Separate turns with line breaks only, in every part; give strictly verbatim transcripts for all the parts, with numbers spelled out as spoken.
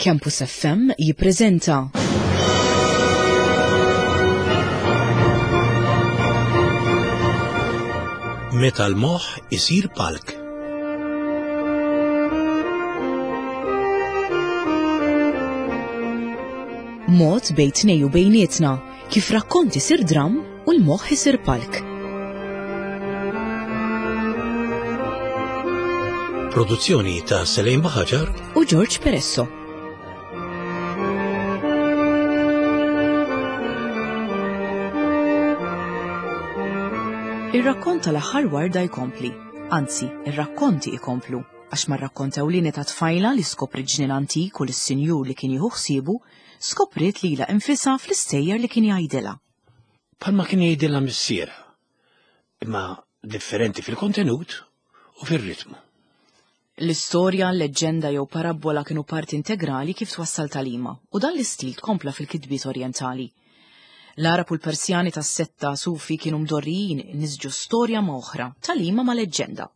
Campus F M jippreżenta
Meta l-moħħ isir palk.
Mod bejn tnejn u bejnietna kif rakkont isir dram u l-moħħ isir palk.
Produzzjoni ta' Selejn Baħaġar
u George Peresso. Ir-rakkont tal-aħħar warda jkompli, anzi, ir-rakkonti jkomplu, għax mar-rakkont ewlieni ta' tfajla li skopri ġnien antik u lis-sinjur li kien jieħu ħsiebu, skopriet lilha infisha fl-istejjer li kien jgħidilha.
Palma kien jgħidilha missierha, imma differenti fil-kontenut u fir-ritmu.
L-istorja, leġġenda jew parabbola kienu parti integrali kif twassal tagħlima, u dan l-istil tkompla fil-kitbiet orjentali. L-Arab u l-Persjani tas-setta Sufi kienu mdorrijin nisġu storja ma' oħra, tagħlima ma' leġġenda.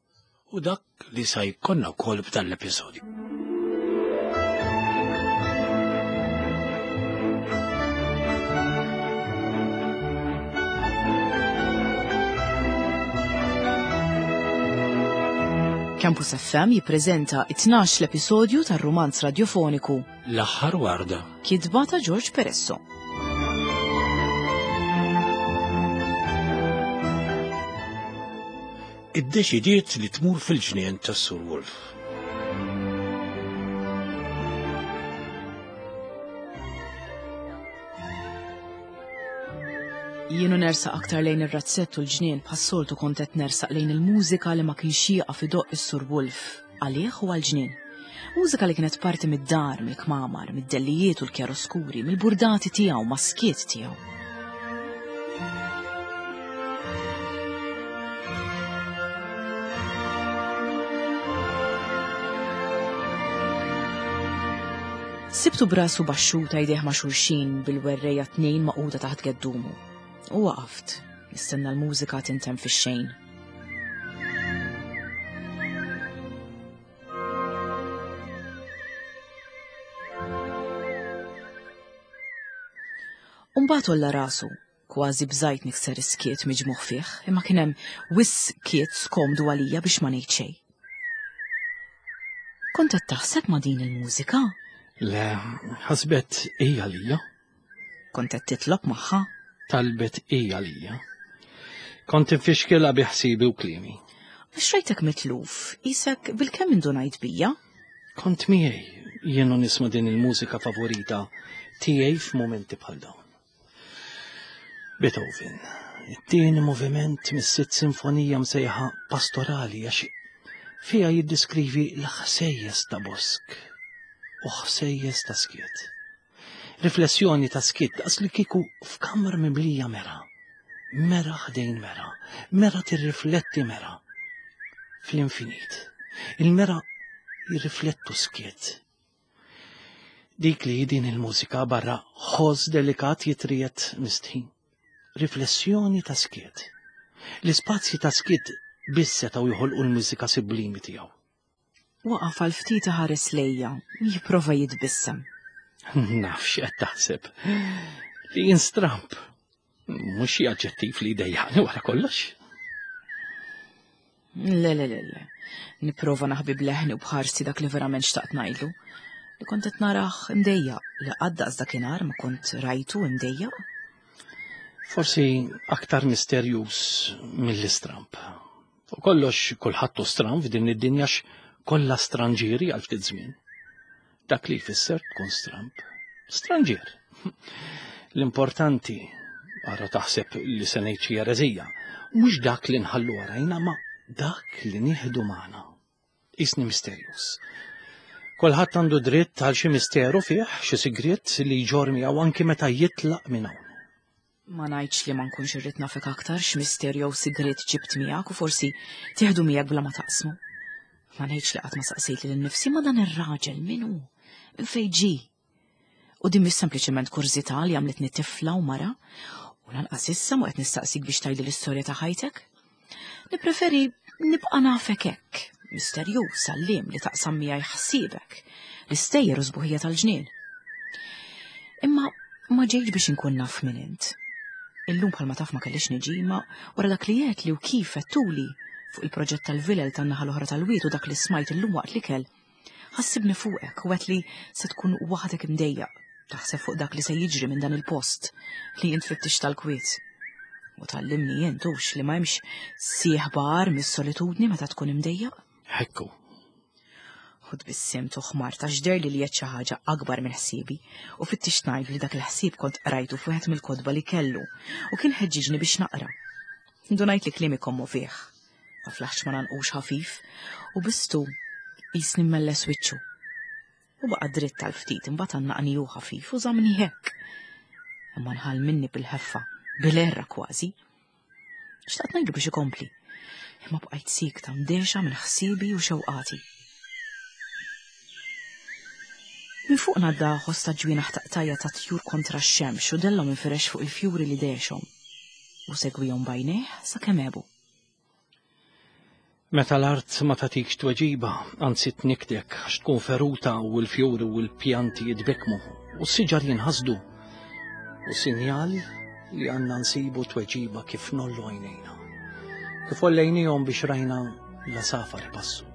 U dak li sa jkollna wkoll f'dan l-episodju.
Campus F M jippreżenta it-tnax l-episodju tar-rumanz radiofoniku
L-aħħar warda.
Kitba ta' George Peresso.
Iddeċidiet li tmur fil-ġnien tas-Sur Wolf.
Jienu nersaq aktar lejn ir-razzett u l-ġnien, bħas-soltu kont qed nersaq lejn il-mużika li ma kienx jieqaf idoqq is-Sur Wolf, għalih u għall-ġnien. Mużika li kienet parti mid-dar, mill-kmamar, mid-dellijiet u l-kjaroskuri, mill-burdati tiegħu, mas-skiet tiegħu. Sibtu brasu baxxuta, jdejh ma' xulxin, bil-werreja tnejn maquda taħt geddumu. U waqaft, nistenna l-mużika tintemm fix-xejn. Umbagħad għolla rasu, kważi bżajt nikser is-skiet miġmugħ fih, imma kien hemm wisq skiet skomdu għalija biex ma ngħid xejn. Kont qed taħseb ma' din il-mużika?
Le, ħasbet hija lija.
Kont qed titlob magħha?
Talbet hija lija. Kont infixkilha bi ħsibi u kliemi.
Għax rajtek mitluf, qisek bilkemm indunajt bija?
Kont miegħi, jienu nisma' din il-mużika favorita tiegħi f'mumenti bħal dawn. Beethoven, it-tieni moviment mis-sitt sinfonija msejħa Pastorali, għax fiha jiddiskrivi l-ħsejjes ta' bosk u ħsejjes ta' skiet. Riflessjoni ta' skiet daqs li kieku f'kamra mimlija mera. Mera ħdejn mera, mera tirrifletti mera. Fl-infinit, il-mera jirriflettu skiet. Dik li din il-mużika barra ħoss delikat jitrijet mistħin. Riflessjoni ta' skiet. L-ispazji ta' skiet biss setgħu joħolqu l-mużika sublimi tiegħu.
Waqaf għal ftit ħares lejja, jipprova jitbissem.
Naf x'qed taħseb. Li jien stramp. Mhux xi aġġettiv li jdejjaqni wara kollox.
Le, le, le, le. Nipprova naħbi bleħni u bħarsi dak li verament xtaqt ngħidlu. Li kont qed narah imdejjaq, li qatt daqs dakinhar ma kont rajtu imdejjaq.
Forsi aktar misterjuż mill-istramp. U kollox kulħadd hu stramp f'din id-dinja, kollha stranġieri għal ftit żmien. Dak li jfisser tkun stramp. Stranġier. L-importanti, ara taħseb li se ngħid xi ereżija, mhux dak li nħallu warajna, ma dak li nieħdu magħna. Isni misterjuż. Kulħadd għandu dritt għal xi misteru fih, xi sigriet li jġorr miegħu anki meta jitlaq minn hawn.
Ma ngħidx li ma nkunx irrid nafek aktar x'misterju jew sigriet ġibt miegħek u forsi tieħdu miegħek bla ma taqsmu. Ma ngħidx li qatt ma saqsejt lil nnifsi, ma dan ir-raġel min hu? Minn fejn ġie? U din mhix sempliċement kurżità li għamlitni tifla u mara, u lanqas issa mu qed nistaqsik biex tgħidli l-istorja ta' ħajtek. Nippreferi nibqa' nafek hekk, misterjuż, għalliem li taqsam miegħi ħsiebek, l-istejjer u sbuħija tal-ġnien. Imma ma ġejtx biex inkun naf min int. Illum bħalma taf ma kellix niġi, ma wara dak li għedt li u kif għedtuli fuq il-proġett tal-vilel tan-naħa l-oħra tal-wied u dak li smajt illum waqt l-ikel, ħassibni fuqek u għedt li se tkun waħdek imdejjaq, taħseb fuq dak li se jiġri minn dan il-post li int fittix tal-kwiet. U tallimni int hux li ma hemmx sieħba agħar mis-solitudni meta tkun imdejjaq.
Hekku.
U tbissimt u ħmart għax deherli li għedt xi ħaġa akbar minn ħsiebi u fittixt ngħid li dak il-ħsieb kont qrajtu f'wieħed mill-kotba li kellu u kien ħeġġiġni biex naqra. Ndunajt li kliemi kommovih. Ma flaħx ma nanqux ħafif u bistu qisni mmelles wiċċu. U baqa' dritt tal-ftit imbagħad għannaqni hu ħafif u żammni hekk. Imma nħall minni bil-ħeffa, bil-erra kważi. Xtaqt ngħidlu biex ikompli, imma bqajt siekta mdehxa minn ħsiebi u xewqati. Minn fuq ngħadda ħoss ta' ġwienaħ taqtajja ta' tjur kontra x-xemx u dellhom infirex fuq il-fjuri li dehxhom. U segwihom b'għajnejh sakemm għebu.
Meta l-art ma tagħtikx tweġiba, anzi tnikdek għax tkun feruta u l-fjuri u l-pjanti jitbekmu u s-siġar jinħasdu. U sinjal li għandna nsibu tweġiba kif nollu għajnejna. Kif ollejnihom biex rajna l-għasafar ipassu.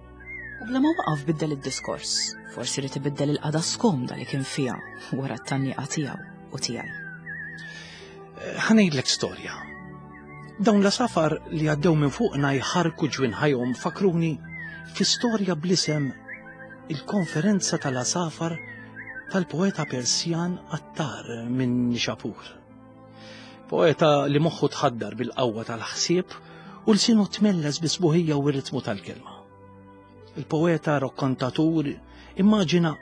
U bla ma waqaf biddel id-diskors, forsi rid ibiddel il-qagħda skomda li kien fiha wara t-tgħanniqa tiegħu u tiegħi.
Ħa ngħidlek storja. Dawn l-għasafar li għaddew minn fuqna jħarku ġwinħajhom fakruni fi storja bl-isem il-konferenza tal-għasafar tal-poeta Persjan Attar minn Nixapur. Poeta li moħħu tħaddar bil-qawwa tal-ħsieb u lsienu tmelles bis-sbuħija u r-ritmu tal-kelma. Il-poeta rokkontatur immaġina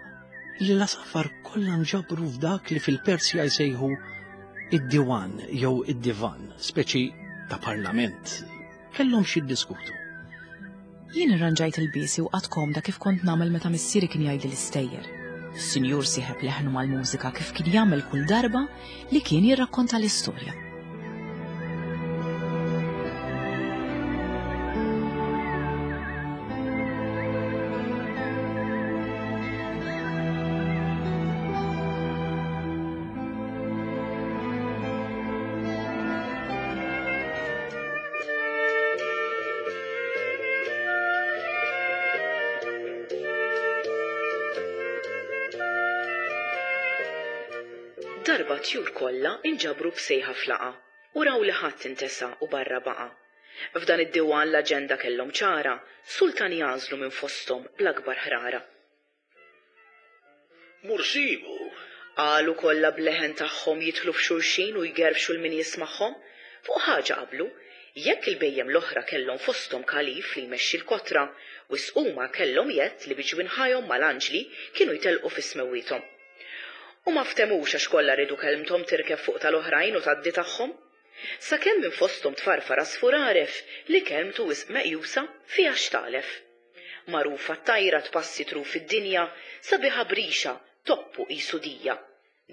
li l-għasafar kollha nġabru f'dak li fil-Persja jsejħu id-diwan jew id-divan, speċi ta' parlament. Kellhom xi jiddiskutu.
Jien irranġajt il-biesi u qatt komda kif kont nagħmel meta missieri kien jgħidli l-istejjer. Is-sinjur sieħeb leħnu mal-mużika kif kien jagħmel kull darba li kien jirrakkonta l-istorja. Darba tjur kollha inġabru b'sejħa flaqa u raw li ħadd intesa u barra baqa'. F'dan id-diwan l-aġenda kellhom ċara, sultan jagħżlu minn fosthom bl-akbar ħrara.
Mursibu!
Qalu kollha b'leħen tagħhom jidħlu f'xulxin u jgerfxu l min jismagħhom. Fuq ħaġa qablu, jekk il-bejjem l-oħra kellhom fosthom kalif li jmexxi l-kotra, wisq huma kellhom jett li bi ġwinħajhom mal-anġli kienu jtelqu fi smewwiethom. U ma ftemux għax kollha riedu kelmthom tirkeb fuq tal-oħrajn u tgħaddi tagħhom. Sakemm minn fosthom tfarfar għasfur għaref li kelmtu wisq meqjusa fiha x'talef. Magħrufa t-tajra tpassi truf id-dinja, sabiħa brixa, toppu qisu dija.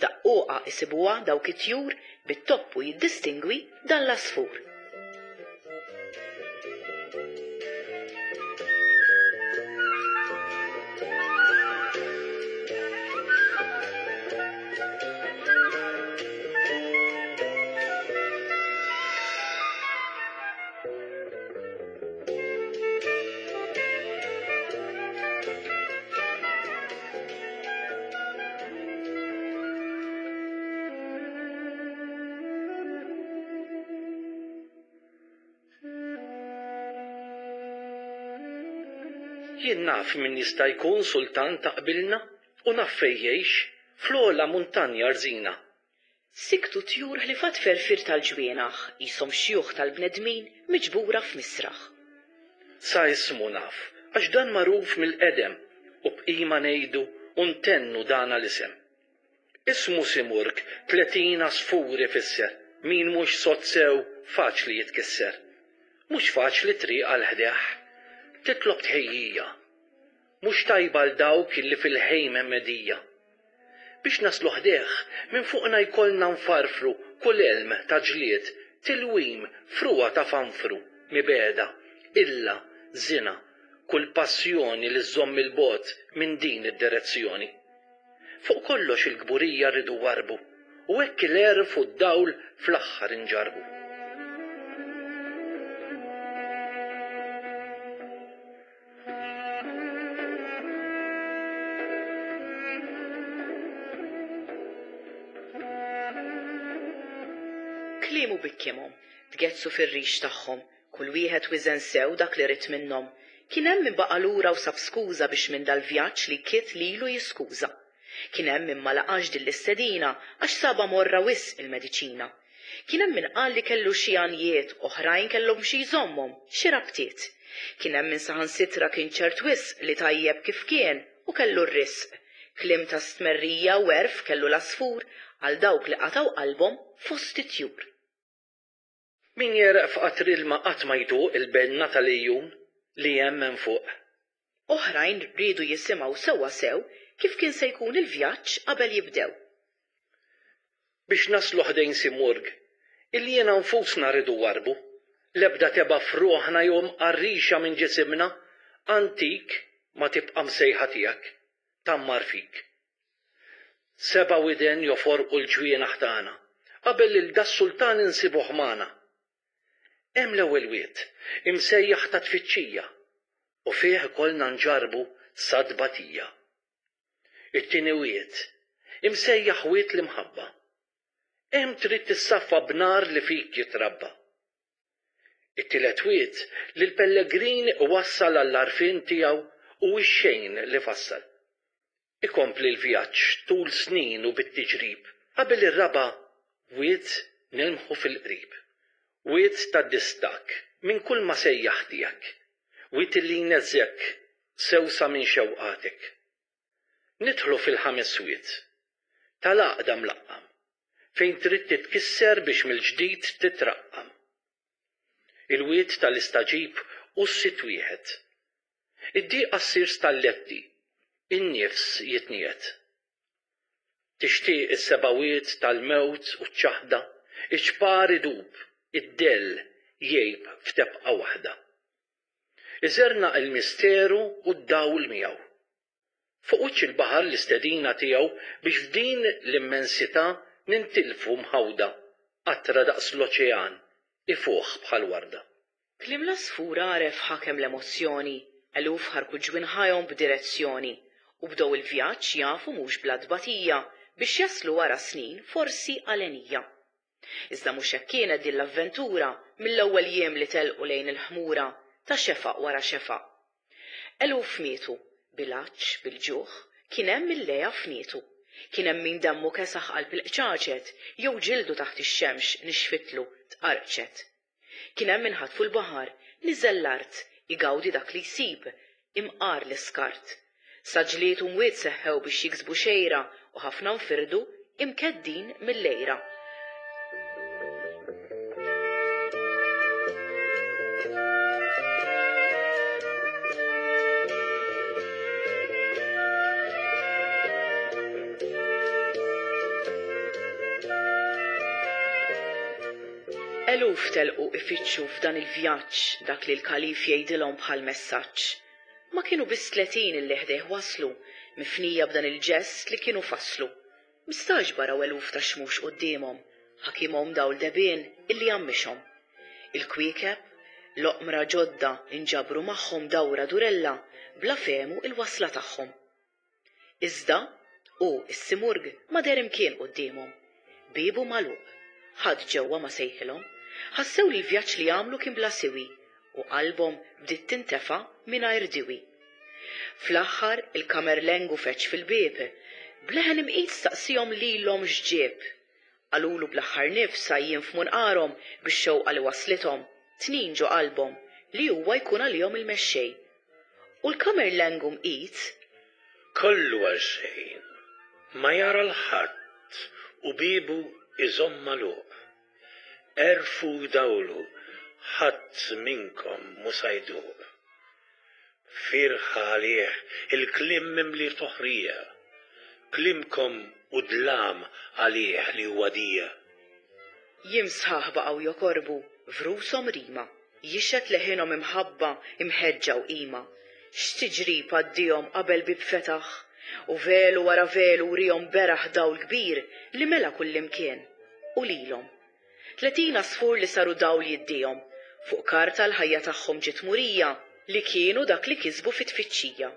Daqquqa isibuha dawk it-tjur bit-toppu jiddistingwi dan l-għasfur.
Jien naf min jista' jkun sultan ta' qbilna u naf fejn jgħix fl-ogħla muntanja rżina.
Siktu tjur ħlifat ferfir tal-ġwienaħ, qishom xjuħ tal-bnedmin miġbura f'misraħ.
Sa ismu naf, għax dan magħruf mill-qedem u bqima ngħidu u ntennu dan l-isem. Ismu Simurg tletin għasfur ifisser, min mhux sod sew faċli jitkisser. Mhux faċli triq għal ħdeħ, titlob tħejjija. Mhux tajba għal dawk illi fil-ħejm hemm medija. Biex naslu ħdeħ, minn fuqna jkollna nfarfru kull elm ta' ġlied, tilwim, fruwa ta' fanfru, mibeda, illa, zina, kull passjoni li żżomm il-bogħod minn din id-direzzjoni. Fuq kollox il-kburija rridu warbu, u hekk il-għerf u d-dawl fl-aħħar inġarbu.
Kliemu bikkimhom, tgezzu fir-rix tagħhom, kull wieħed wiżen sew dak li rid minnhom. Kien hemm min baqa' lura u sab skuża biex minn dal-vjaġġ li kiet lilu jiskuża. Kien hemm min ma laqax din l-istedina għax saba morra wisq il-mediċina. Kien hemm min qal li kellu xi għanjiet, oħrajn kellhom xi jżommhom, xi rabtiet. Kien hemm min saħansitra kien ċert wisq li tajjeb kif kien u kellu r-risq. Kliem ta' stmerrija u għerf kellu l-għasfur għal dawk li qatgħu qalbhom fost it-tjur.
Min jereq f'qatr ilma qatt ma jduq il-benna tal-ejjun li hemm hemm fuq.
Oħrajn riedu jisimgħu sewwa sew kif kien se jkun il-vjaġġ qabel jibdew.
Biex naslu ħdejn Simurg, il-jiena nfusna rridu warbu, l-ebda teba' f'ruħna jew mqarrixa minn ġisimna, antik ma tibqa' msejħa tiegħek, tammar fik. Seba' widen joforqu l-ġwienaħ tagħna, qabel lil das-sultan insibuh magħna. Hemm l-ewwel wied, imsejjaħ ta' tfittxija, u fih ikollna nġarbu sa tbatija. It-tieni wied, imsejjaħ wied l-imħabba. Hemm trid tissaffa b'nar li fik jitrabba. It-tielet wied li l-pellegrin iwassal għall-għarfien tiegħu u x-xejn li fassal. Ikompli l-vjaġġ tul snin u bit-tiġrib, qabel ir-raba' wied nilmħu fil-qrib. Wied tad-distakk minn kull ma sejjaħ tiegħek, wied li jneżżek sewsa minn xewqatek. Nidħlu fil-ħames wied, tal-għaqda mlaqqam, fejn trid titkisser biex mill-ġdid titraqqam. Il-wied tal-istaġib u s-sitt wieħed. Id-dieqa ssir stalletti, in-nifs jitniet. Tixtieq is-seba' wied tal-mewt u ċ-ċaħda, iċ-ċpar idub, id-dell jgħib f'tebqa waħda. Iżerna il-misteru u d-dawl miegħu. Fuq wiċċ il-baħar l-istedina tiegħu biex f'din l-immensità nintilfu mħawda, qatra daqs l-oċean, ifuħ bħal warda.
Kliem l-għasfur għaref ħakem l-emozzjoni, eluf ħarku ġwinħajhom b'direzzjoni, u bdew il-vjaġġ jafu mhux bla tbatija biex jaslu wara snin forsi għalenija. Iżda mhux hekk kienet din l-avventura mill-ewwel jiem li telqu lejn il-ħmura ta' xefaq wara xefaq. Eluf mietu, bil-għatx, bil-ġuħ, kien hemm il-leja fnietu. Kien hemm min demmu kesaħ qalb il-qċaċet, jew ġildu taħt ix-xemx nixfitlu tqarqċet. Kien hemm min ħatfu l-baħar, niżel l-art, igawdi dak li jsib, imqar l-iskart. Saġliet u mwiet seħħew biex jiksbu xejra u ħafna nfirdu imkeddin mill-lejra. Eluf telqu ifittxu f'dan il-vjaġġ dak li l-kalif jgħidilhom bħal messaġġ. Ma kienu biss tletin illi ħdejh waslu, mifnija b'dan il-ġest li kienu fasslu. Mistagħġba raw eluf ta' xmux quddiemhom, ħakimhom dawl debien illi għammixhom. Il-kwiekeb, l-oqmra ġodda inġabru magħhom dawra durella bla fehmu il-wasla tagħhom. Iżda, u s-Simurg ma deher imkien quddiemhom. Biebu magħluq, ħadd ġewwa ma sejħilhom. Ħassew li l-vjaġġ li għamlu kien bla siwi u qalbhom bdiet tintefa' mingħajr diwi. Fl-aħħar il-kamerlengu feċ fil-bieb, bleħen imqid staqsihom lilhom x'ġieb. Qalulu bl-aħħar nifs għajjien f'munqarhom bix-xewqa li waslithom, tnin ġo qalbhom li huwa jkun għalihom il-mexxej. U l-kamerlengu mqid
Kollu għal xejn, ma jara l-ħadd u biebu iżomm magħluq. Erfu dawlu, ħadd minnkom mhu se jduq. Firħa għalih il-kliem mimli toħrija, kliemkom u dlam għalih li huwa dija.
Jiem sħaħ baqgħu jokorbu f'rushom rima, jixhed leħinhom imħabba imħeġġa u qima. X'tiġrib għaddihom qabel bieb fetaħ, u velu wara velu wrihom beraħ dawl kbir li mela kullimkien, u lilhom. Tletin għasfur li saru dawl jiddihom, fuq karta l-ħajja tagħhom ġiet murija li kienu dak li kisbu fit-tfittxija,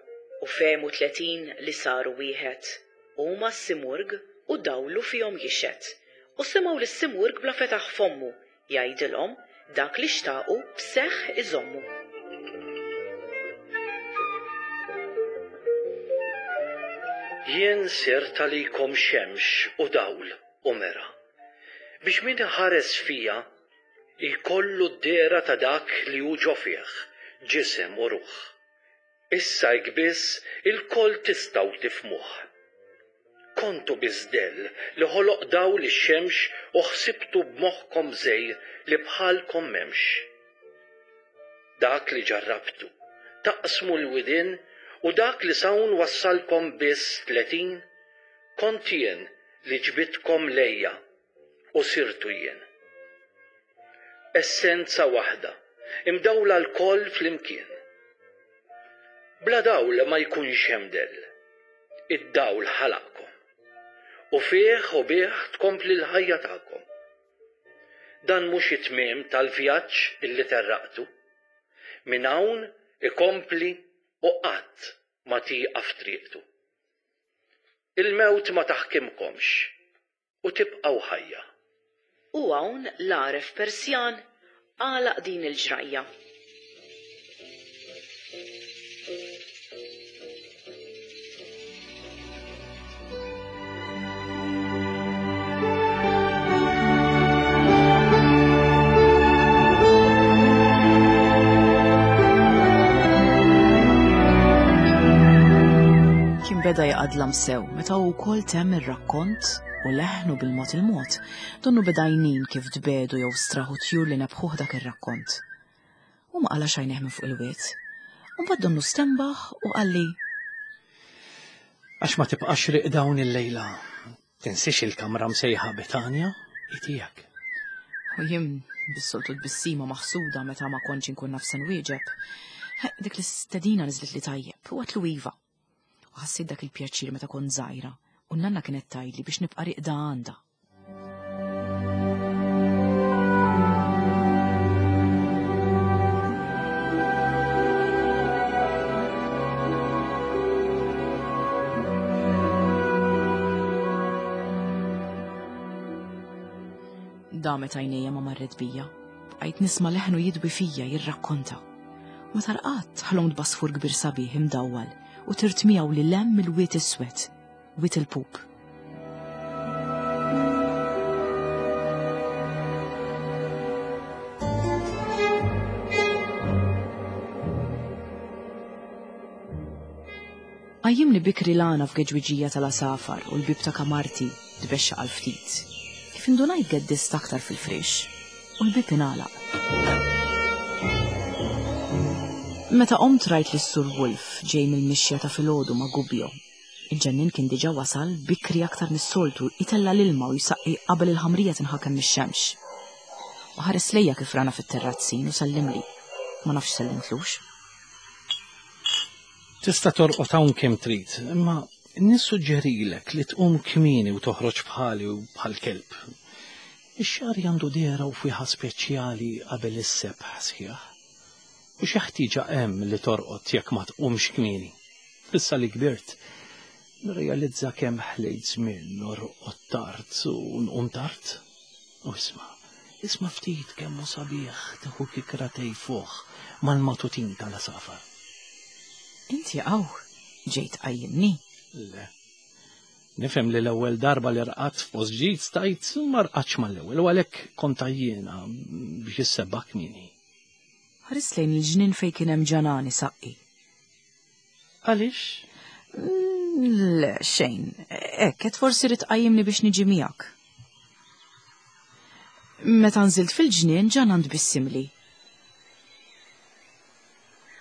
u fehmu tletin li saru wieħed. Huma s-Simurg u dawlu fihom jixhed, u semgħu lis-Simurg bla fetaħ fommu jgħidilhom dak li xtaqu b'seħħ iżommu.
Jien sirt għalikom xemx u dawl u mera, biex min iħares fija jkollu d-dehra ta' dak li hu ġo fih, ġisem u ruħ. Issa hekk biss ilkoll tistgħu tifhmuh. Kontu biss dell li ħoloq dawl ix-xemx u ħsibtu b'moħħkom żejr li bħalkom m'hemmx. Dak li ġarrabtu taqsmu l-widien u dak li s'hawn wassalkom biss tletin, kont jien li ġbidtkom lejja u sirtu jien. Essenza waħda, imdawla lkoll flimkien. Bla dawl ma jkunx hemm dell. Id-dawl ħalaqkom. U fih u bih tkompli l-ħajja tagħkom. Dan mhux it-tmiem tal-vjaġġ illi terraqtu. Minn hawn ikompli u qatt ma tieqaf triqtu. Il-mewt ma taħkimkomx u tibqgħu ħajja.
U hawn l-għaref Persjan għalaq din il-ġrajja. Kien beda jaqadlam sew meta hu wkoll temm ir-rakkont u leħnu bil-mod il-mod, donnu beda jnin kif tbedu jew straħu tjur li nebħuh dak ir-rakkont. U ma qalax għajnejh minn fuq il-wied. U mbagħad donnu stenbaħ u qalli:
Għax ma tibqax riq dawn il-lejla. Tinsiex il-kamra msejħa Betanja, hi tiegħek.
U jien bis-soltu tbissima maħsuda meta ma kontx inkun naf se nwieġeb. Dik l-istedina niżlet li tajjeb u għatlu iva. U ħassejt dak il-pjaċir meta kont żgħira u n-nanna kienet tgħidli biex nibqa' riqda għandha. Damet għajnejja ma marret bija. Bqajt nisma' leħnu jidwi fija jirrakkonta. Meta rqadt ħlomt b'għasfur kbir sabiħ imdawwal u tirt miegħu lil hemm il-wied iswed, wied il-pup. Qajjimni bikri l-għana f'geġwiġija tal-għasafar u l-bib ta' kamarti tbexxaq għal ftit. Kif indunajt geddist aktar fil-frix u l-bib ingħalaq. Meta qomt rajt lis Sur Wolf ġej mill-mixja ta' filgħodu ma' Gubbio. Il-ġennin kien diġà wasal bikri aktar mis-soltu jtella' l-ilma u jsaqqi qabel il-ħamrija tinħakem mix-xemx. U ħares lejja kif rana fit-terrazzin u sellimli. Ma nafx sellimtlux.
Tista' torqod hawn kemm trid, imma nissuġġerilek li tqum kmieni u toħroġ bħali u bħal kelb. Ix-xagħar għandu dehra u fwieħa speċjali qabel is-sebħ sħiħ. U xi ħtieġa hemm li torqod jekk ma tqumx kmieni. Issa li kbirt, nirrealizza kemm ħlejt żmien norqod tard u nqum tard. U isma', isma' ftit kemm hu sabiħ tieħu kikra tejfuh mal-matutin tal-għasafar.
Inti hawn ġejt tqajjimni?
Le. Nifhem li l-ewwel darba li rqadt f'post ġdid stajt ma rqadx mal-ewwel u għalhekk kont għajjiena biex issebbaħ kmieni.
Ħares lejn il-ġnien fejn kien hemm ġanani saqqi.
Għaliex?
Le, xejn. Hekk, qed forsi rid tqajjimni biex niġi miegħek. Meta nżilt fil-ġnien ġanan tbissimli.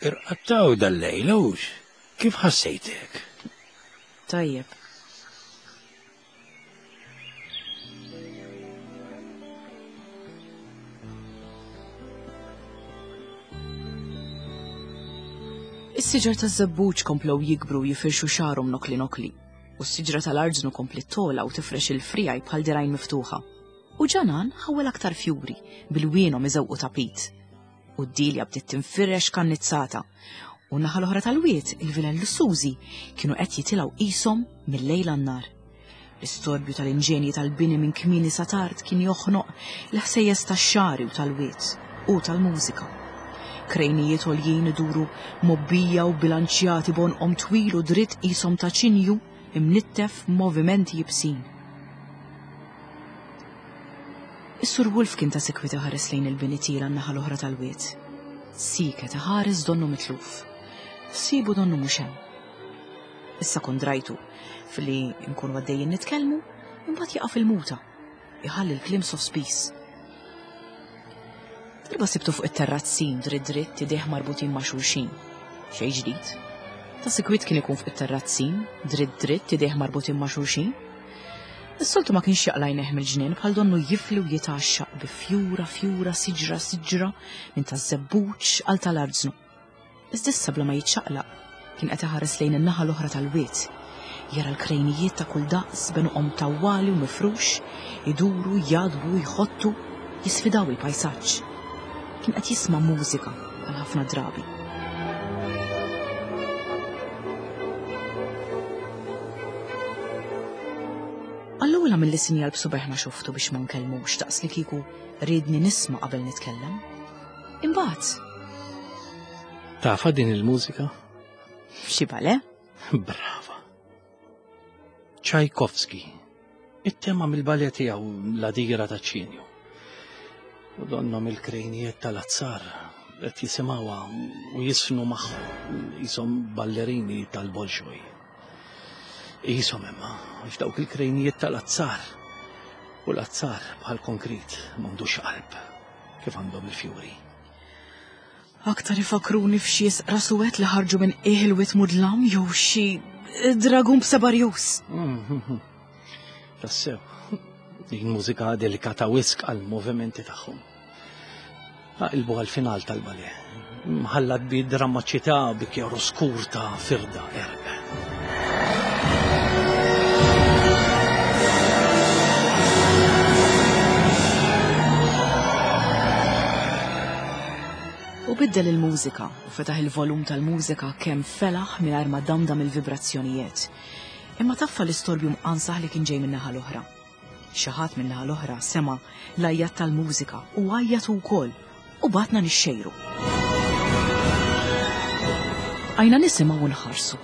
Irqattaw dal-lejl, hux? Kif ħassejtek?
Tajjeb. Is-siġar taż-żebbuġ komplew jikbru u jifirxu xagħarhom nokli nokli, u s-siġra tal-arġnu kompli tola u tifrex il-frijaj bħal dirgħajn miftuħa. U ġanan ħawel aktar fjuri bil-wienhom iżewqu tapit. U d-dilja bdiet tinfirex kannizzata. U n-naħa l-oħra tal-wied, il-vilel lussużi kienu qed jitilgħu qishom mill-lejl għan-nhar. L-istorbju tal-inġenji tal-bini minn kmieni sa tard kien joħnoq l-ħsejjes tax-xagħri u tal-wied u tal-mużika. Krejnijiet għoljin iduru mobbija u bilanċjati b'għonqhom twil u dritt qishom ta' ċinju imnittef movimenti jibsin. Is-Sur Wolf kien ta' sikwit iħares lejn il-bini tiela n-naħa l-oħra tal-wied. Siket iħares donnu mitluf. Sibu donnu mhux hemm. Issa kont drajtu filli nkunu għaddejjin nitkellmu, imbagħad jaqa' fil-muta, iħalli l-kliem sospiż. Darba sibtu fuq it-terrazzin dritt dritt idejh marbutin ma' xulxin. Xejn ġdid. Ta' sikwit kien ikun fuq it-terrazzin, dritt dritt idejh marbutin ma' xulxin. Is-soltu ma kienx jaqla' għajnejh mill-ġnien bħal donnu jifli u jitgħaxxaq bi fjura fjura siġra siġra minn taż-żebbuġ għal tal-arznu. Iżda issa bla ma jiċċaqlaq kien qed iħares lejn in-naħa l-oħra tal-wied. Jara l-krejnijiet ta' kull daqs b'għenuqhom tawwali u mifrux, iduru, jadbu, jħottu, jisfidaw il-pajsaġġ. Kien qed jisma' mużika bħal ħafna drabi. Allura mill sinjal b'subeħ ma xoftu biex ma nkellmux daqs li kieku riedni nisma' qabel nitkellem. Imbagħad.
Tafa din il-mużika?
Xi bale?
Brava. Tchaikovsky. It-tema mill-ballet tiegħu La Dira ta' ċinju. U donhom il-krejnijiet tal-azzar qed jisimgħuha u jisfnu magħhom qishom ballerini tal-Bolxoj. Qishom imma għax dawk il-krejnijiet tal-azzar u l-azzar bħal konkrit m'għandux qalb kif għandhom il-fjuri.
Aktar ifakruni f'xi rasuwet li ħarġu minn qiegħ il-wied mudlam jew xi dragun b'seba' rjus.
Tassew, din mużika delikata wisq għall-movimenti tagħhom. Aqilbu għal-final tal-ballet. Mħallat bi drammaċità bi chiaroscur ta' firda erq.
U biddel il-mużika u fetaħ il-volum tal-mużika kemm felaħ mingħajr ma damdam il-vibrazzjonijiet. Imma taffa l-istorbju mqansaħ li kien ġej min-naħa l-oħra. Xi ħadd min-naħa l-oħra sema' l-għajjat tal-mużika u għajjat ukoll u batna nixxejru. Għajna nisimgħu u nħarsu.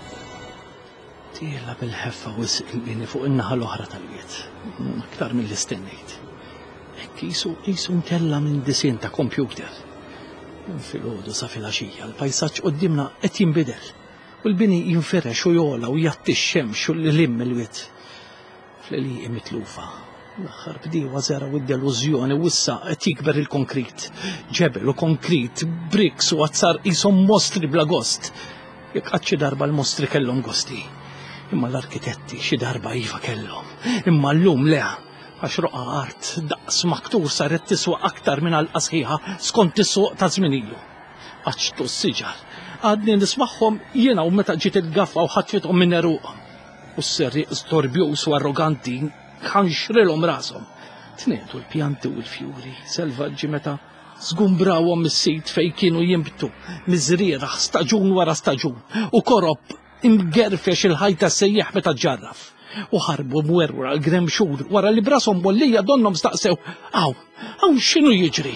Tiela bil-ħeffa wisq il-bini fuq in-naħa l-oħra tal-wied, aktar milli stennejt. Hekk qisu qisu mtella' minn disinn ta' kompjuter. Minn filgħodu sa filgħaxija l-pajsaġġ quddiemna qed jinbidel u l-bini jinfirex u jogħla u jgħatti x-xemx u l-lim il-wied. Fl-għelieqi mitlufa. L-aħħar bdiewa żergħu id-delużjoni u issa qed jikber il-konkrit. Ġebel u konkrit, briks u azzar qishom mostri bla gost. Jekk qatt xi darba l-mostri kellhom gosti. Imma l-arkitetti xi darba iva kellhom. Imma llum le, għax roqgħa art daqs maktur saret tiswa aktar minn għalqa sħiħa skont is-suq ta' żmien ilu. Qaċċtu s-siġar. Għadni nismagħhom jiena u meta ġiet il-gaffa u ħatfithom minn għeruqhom. U s-serrieq storbjuż u arroganti ħanxrilhom rashom. Tniedu l-pjanti u l-fjuri selvaġġi meta żgumbrawhom mis-sit fejn kienu jinbtu miżrieraħ staġun wara staġun u korob imgerfex il-ħajta sejjaħ meta ġarraf. U ħarbu mwerwra l-gremxur wara li brashom bollija donhom staqsew hawn, hawn x'inhu jiġri?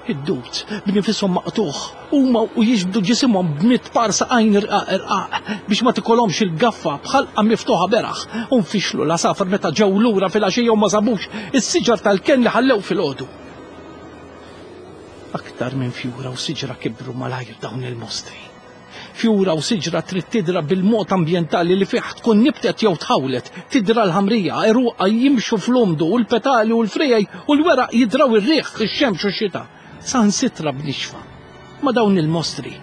Id-dud b'nifisom maqtuħ huma u jiġbdu ġisimhom b'mitt par saqajn irqaq irqaq biex ma tikolhomx il-gaffa b'ħalqa miftuħa beraħ u nfixlu l-għasafar meta ġew lura filgħaxija u ma sabux is-siġar tal-kenn li ħallew filgħodu. Aktar minn fjura u siġra kibru malajr dawn il-mostri. Fjura u siġra trid tidra bil-mod ambjentali li fih tkun nibtet jew tħawlet, tidra l-ħamrija, għeruqha jimxu fl-umdu u l-petali u l-frijaj u l-weraq jidraw ir-riħ, ix-xemx u x-xita. Saħansitra b'nixfa. Ma dawn il-mostri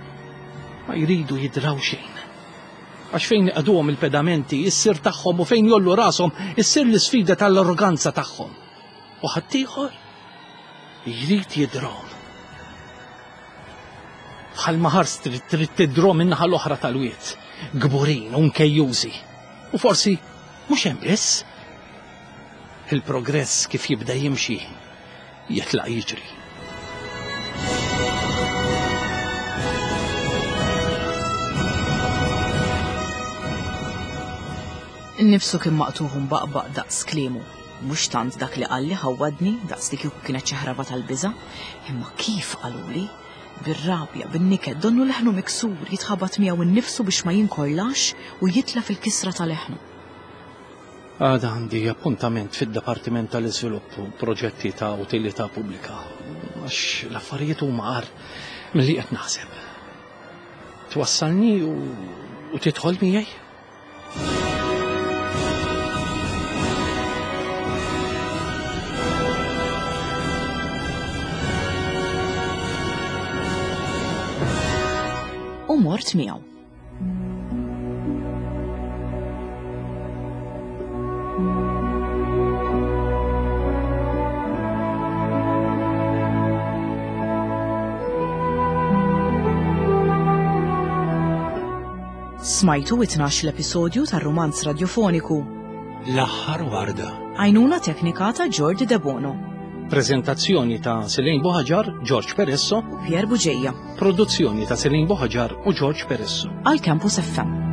ma jridu jidraw xejn. Għax fejn iqaduhom il-pedamenti, issir tagħhom u fejn jollu rashom, issir l-isfida tal-arroganza tagħhom. U ħaddieħor jrid jidrahom. Bħalma ħarst trid tidro min-naħa l-oħra tal-wied, kburin u nkejjużi. U forsi mhux hemm biss. Il-progress kif jibda jimxi jitlaq jiġri.
Nifsu kien maqtuħ u mbaqbaq daqs kliemu. Mhux tant dak li qalli ħawwadni daqs li kieku kienet xi ħraba tal-biża', imma kif qaluli, bir-rabja, bin-niket, donnu leħnu miksur jitħabat miegħu nnifsu biex ma jinkorlax u jitlef il-kisra ta' leħnu.
Għada għandi appuntament fid-Dipartiment tal-Iżvilupp u Proġetti ta' Utilità Pubblika, għax l-affarijiet huma agħar milli qed naħseb. Twassalni u, u tidħol miegħi?
U mort miegħu. Smajtu it-tnax l-episodju tar-rumanz radjofoniku
L-aħħar warda.
Għajnuna teknika ta' Jordi Debono.
Prezentazzjoni ta' Selene Buhaġar, George Peresso
u Pier Bugeja.
Produzzjoni ta' Selene Buhaġar u George Peresso.
Għal Campus F M.